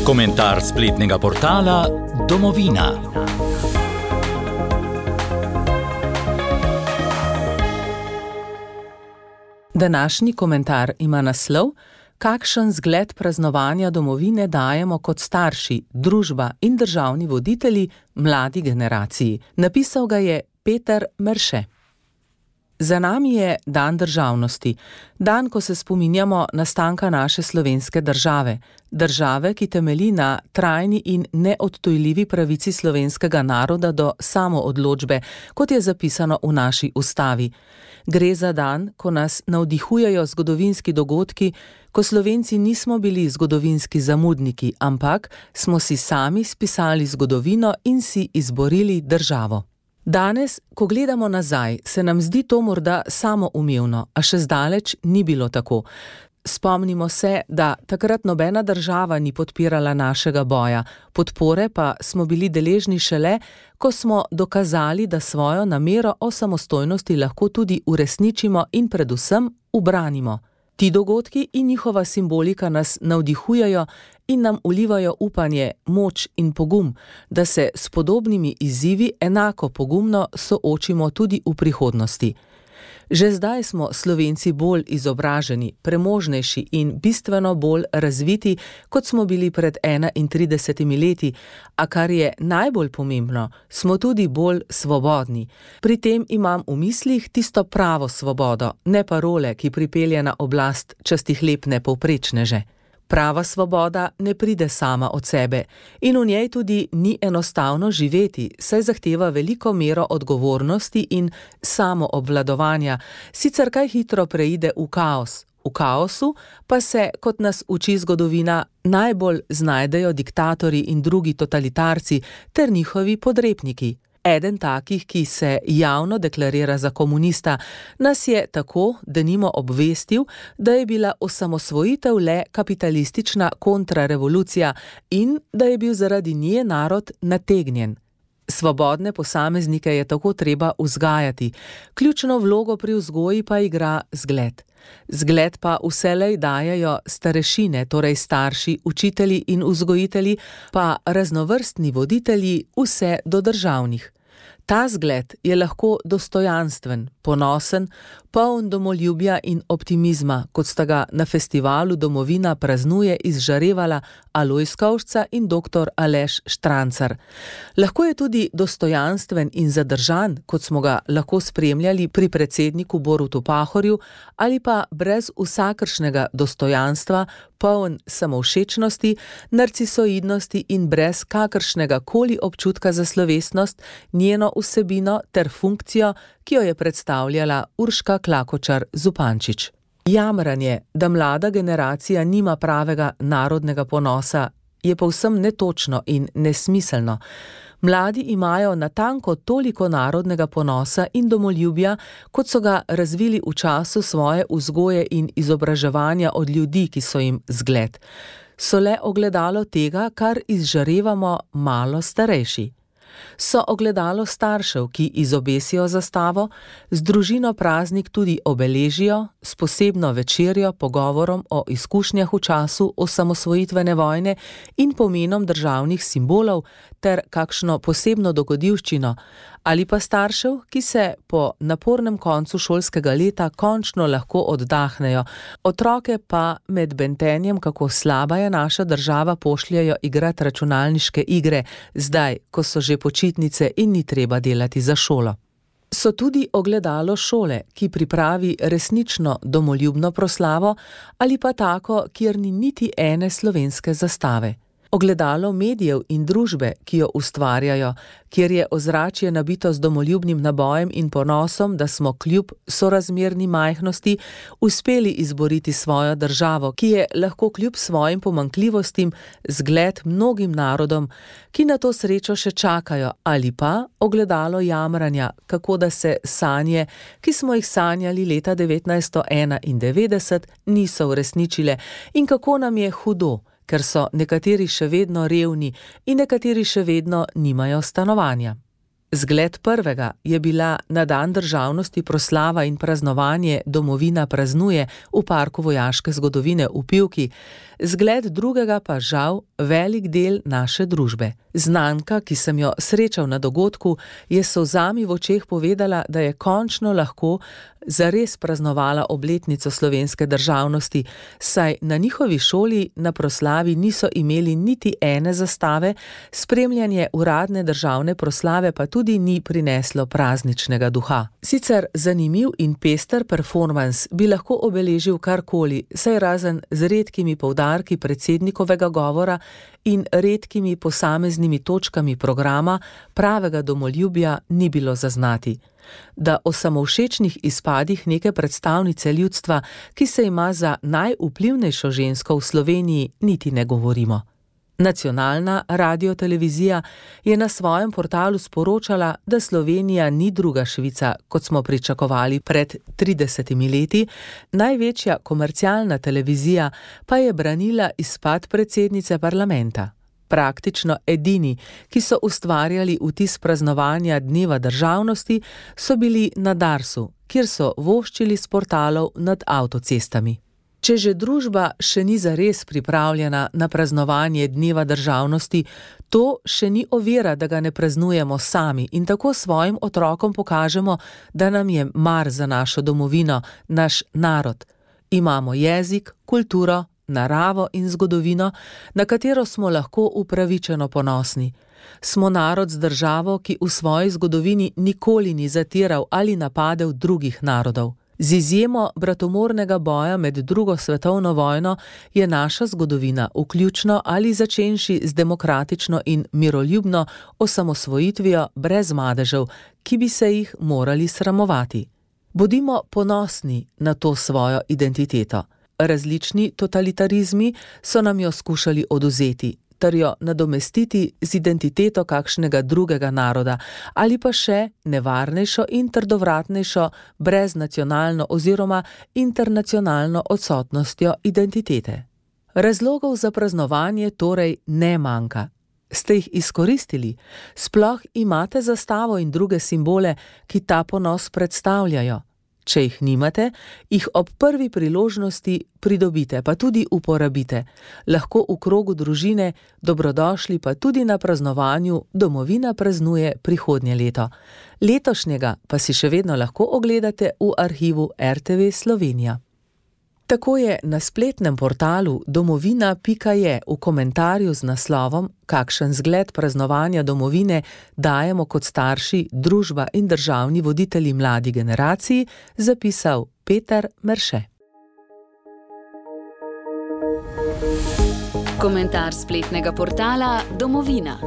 Komentar spletnega portala Domovina. Današnji komentar ima naslov: Kakšen zgled praznovanja domovine dajemo kot starši, družba in državni voditelji mladi generaciji. Napisal ga je Peter Merše. Za nami je dan državnosti, dan, ko se spominjamo nastanka naše slovenske države, države, ki temelji na trajni in neodtujljivi pravici slovenskega naroda do samoodločbe, kot je zapisano v naši ustavi. Gre za dan, ko nas navdihujejo zgodovinski dogodki, ko Slovenci nismo bili zgodovinski zamudniki, ampak smo si sami spisali zgodovino in si izborili državo. Danes, ko gledamo nazaj, se nam zdi to morda samoumevno, a še zdaleč ni bilo tako. Spomnimo se, da takrat nobena država ni podpirala našega boja, podpore pa smo bili deležni šele, ko smo dokazali, da svojo namero o samostojnosti lahko tudi uresničimo in predvsem ubranimo. Ti dogodki in njihova simbolika nas navdihujejo in nam vlivajo upanje, moč in pogum, da se s podobnimi izzivi enako pogumno soočimo tudi v prihodnosti. Že zdaj smo Slovenci bolj izobraženi, premožnejši in bistveno bolj razviti, kot smo bili pred 31 leti, a kar je najbolj pomembno, smo tudi bolj svobodni. Pri tem imam v mislih tisto pravo svobodo, ne parole, ki pripelje na oblast častihlepne povprečneže. Prava svoboda ne pride sama od sebe in v njej tudi ni enostavno živeti, saj zahteva veliko mero odgovornosti in samoobvladovanja, sicer kaj hitro preide v kaos. V kaosu pa se, kot nas uči zgodovina, najbolj znajdejo diktatorji in drugi totalitarci ter njihovi podrepniki. Eden takih, ki se javno deklarira za komunista, nas je tako denimo obvestil, da je bila osamosvojitev le kapitalistična kontrarevolucija in da je bil zaradi nje narod nategnjen. Svobodne posameznike je tako treba vzgajati, ključno vlogo pri vzgoji pa igra zgled. Zgled pa vselej dajejo starešine, torej starši, učitelji in vzgojitelji, pa raznovrstni voditelji, vse do državnih. Ta zgled je lahko dostojanstven, ponosen, poln domoljubja in optimizma, kot sta ga na festivalu Domovina praznuje izžarevala Alojz Kovšca in dr. Aleš Štrancar. Lahko je tudi dostojanstven in zadržan, kot smo ga lahko spremljali pri predsedniku Borutu Pahorju, ali pa brez vsakršnega dostojanstva, poln samovšečnosti, narcisoidnosti in brez kakršnega koli občutka za slovesnost, njeno vsebino ter funkcijo, ki jo je predstavljala Urška Klakočar Zupančič. Jamranje, da mlada generacija nima pravega narodnega ponosa, je povsem netočno in nesmiselno. Mladi imajo natanko toliko narodnega ponosa in domoljubja, kot so ga razvili v času svoje vzgoje in izobraževanja od ljudi, ki so jim zgled. So le ogledalo tega, kar izžarevamo malo starejši. So ogledalo staršev, ki izobesijo zastavo, z družino praznik tudi obeležijo, s posebno večerjo, pogovorom o izkušnjah v času osamosvojitvene vojne in pomenom državnih simbolov ter kakšno posebno dogodivščino, ali pa staršev, ki se po napornem koncu šolskega leta končno lahko oddahnejo, otroke pa med bentenjem, kako slaba je naša država, pošljajo igrati računalniške igre, zdaj, ko so že počitnice in ni treba delati za šolo. So tudi ogledalo šole, ki pripravi resnično domoljubno proslavo ali pa tako, kjer ni niti ene slovenske zastave. Ogledalo medijev in družbe, ki jo ustvarjajo, kjer je ozračje nabito z domoljubnim nabojem in ponosom, da smo kljub sorazmerni majhnosti uspeli izboriti svojo državo, ki je lahko kljub svojim pomanjkljivostim zgled mnogim narodom, ki na to srečo še čakajo, ali pa ogledalo jamranja, kako da se sanje, ki smo jih sanjali leta 1991, niso uresničile in kako nam je hudo, ker so nekateri še vedno revni in nekateri še vedno nimajo stanovanja. Zgled prvega je bila na dan državnosti proslava in praznovanje Domovina praznuje v Parku vojaške zgodovine v Pivki, zgled drugega pa žal velik del naše družbe. Znanka, ki sem jo srečal na dogodku, je s solzami v očeh povedala, da je končno lahko zares praznovala obletnico slovenske državnosti, saj na njihovi šoli na proslavi niso imeli niti ene zastave, spremljanje uradne državne proslave pa tudi ni prineslo prazničnega duha. Sicer zanimiv in pester performans bi lahko obeležil karkoli, saj razen z redkimi poudarki predsednikovega govora in redkimi posameznimi točkami programa pravega domoljubja ni bilo zaznati. Da o samovšečnih izpadih neke predstavnice ljudstva, ki se ima za najvplivnejšo žensko v Sloveniji, niti ne govorimo. Nacionalna radiotelevizija je na svojem portalu sporočala, da Slovenija ni druga Švica, kot smo pričakovali pred 30 leti, največja komercialna televizija pa je branila izpad predsednice parlamenta. Praktično edini, ki so ustvarjali vtis praznovanja Dneva državnosti, so bili na Darsu, kjer so voščili s portalov nad avtocestami. Če že družba še ni zares pripravljena na praznovanje Dneva državnosti, to še ni ovira, da ga ne praznujemo sami in tako svojim otrokom pokažemo, da nam je mar za našo domovino, naš narod. Imamo jezik, kulturo, naravo in zgodovino, na katero smo lahko upravičeno ponosni. Smo narod z državo, ki v svoji zgodovini nikoli ni zatiral ali napadel drugih narodov. Z izjemo bratomornega boja med drugo svetovno vojno je naša zgodovina, vključno ali začenši z demokratično in miroljubno osamosvojitvijo brez madežev, ki bi se jih morali sramovati. Bodimo ponosni na to svojo identiteto. Različni totalitarizmi so nam jo skušali odvzeti, ter jo nadomestiti z identiteto kakšnega drugega naroda ali pa še nevarnejšo in trdovratnejšo breznacionalno oziroma internacionalno odsotnostjo identitete. Razlogov za praznovanje torej ne manjka. Ste jih izkoristili? Sploh imate zastavo in druge simbole, ki ta ponos predstavljajo? Če jih nimate, jih ob prvi priložnosti pridobite, pa tudi uporabite. Lahko v krogu družine, dobrodošli pa tudi na praznovanju Domovina praznuje prihodnje leto. Letošnjega pa si še vedno lahko ogledate v arhivu RTV Slovenija. Tako je na spletnem portalu domovina.je v komentarju z naslovom Kakšen zgled praznovanja domovine dajemo kot starši, družba in državni voditelji mladi generaciji zapisal Peter Merše. Komentar spletnega portala Domovina.